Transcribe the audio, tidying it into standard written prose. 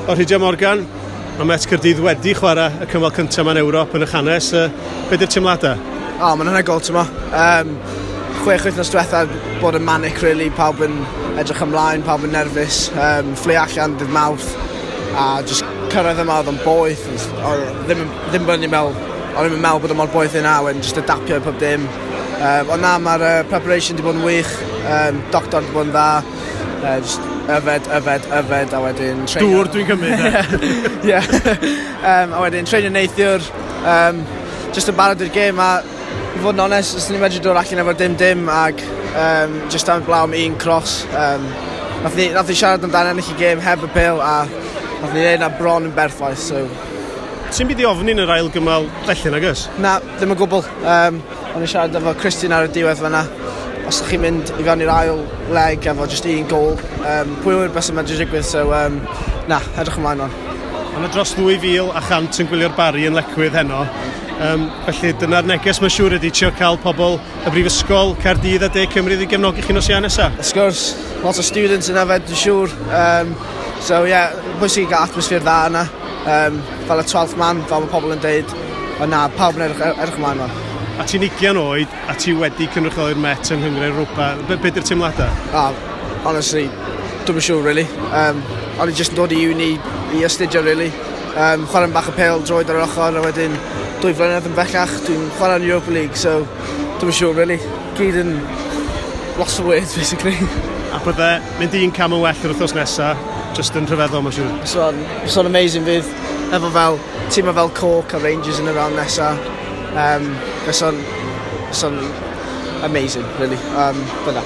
O Rhydian Morgan, mae Met Caerdydd wedi chwarae y cymal cyntaf mewn Ewrop yn y hanes. Be di'r teimladau? O, oh, mae'n anhygoel, ti'n mo. 6 wythnos diwetha bod yn manic, really. Pawb yn edrych ymlaen, pawb yn nerfus. Fflio allan dydd Mawrth a just cyrraedd yma oedd yn boeth. Oedd ddim bod ni'n meddwl, o'n i'n meddwl bod o mor boeth yna, wedyn just adaptio i pob dim. Ond na, mae'r preparation di bod yn wych, doctor di bod yn dda, just yfed, yfed, yfed, a wedyn treinio. Dŵr dwi'n cymryd, e? Ie. A wedyn treinio neithiwr, just yn barod i'r gêm a i fod yn onest, os ni'n medru dod allan efo 0-0 ag just am blaw am un cross. Nath ni siarad amdano ennill y gêm heb y bêl a nath ni neud na bron yn berffaith, so. Ti'n byd i ofni yn yr ail gymal felly, nag oes? Na, ddim yn gwbl. O'n i'n siarad efo Christian ar y diwedd fanna. Os ydych chi'n mynd i fewn i'r ail leg efo just un gol, pwy yw'r beth sy'n medru digwydd, so na, edrych ymlaen o'n. Mae yna dros 2,100 yn gwylio'r Barri yn Lecwydd heno. Felly dyna'r neges mae'n siŵr ydy trio cael pobl y Brifysgol, Caerdydd a De Cymru i gefnogi chi nos Iau nesaf. Wrth gwrs, lot o students yn yfed, dwi'n siŵr. So yeah, bwysig i gael atmosffer dda yna. Fel y 12th man, fel mae pobl yn deud. Ond na, pawb yn edrych ymlaen o'n. A ti'n 20 oed a ti wedi cynrychioli'r Met yng Nghynghrair Europa. Be di'r teimladau? Ah, honestly, dwi'm yn siŵr, really. O'n i just yn dod i uni i astudio, really. Chwarae'n bach o pêl droed ar yr ochr, a wedyn 2 flynedd yn bellach, dwi'n chwarae'n Europa League, so dwi'm yn siŵr, really. Gyd yn lost for words, basically. A bydde mynd un cam yn well yr wythnos nesaf, just yn rhyfeddol, mae'n siŵr. So amazing fydd, efo fel, tîm fel Cork a Rangers yn y round nesa. Fysa'n amazing, really. But na,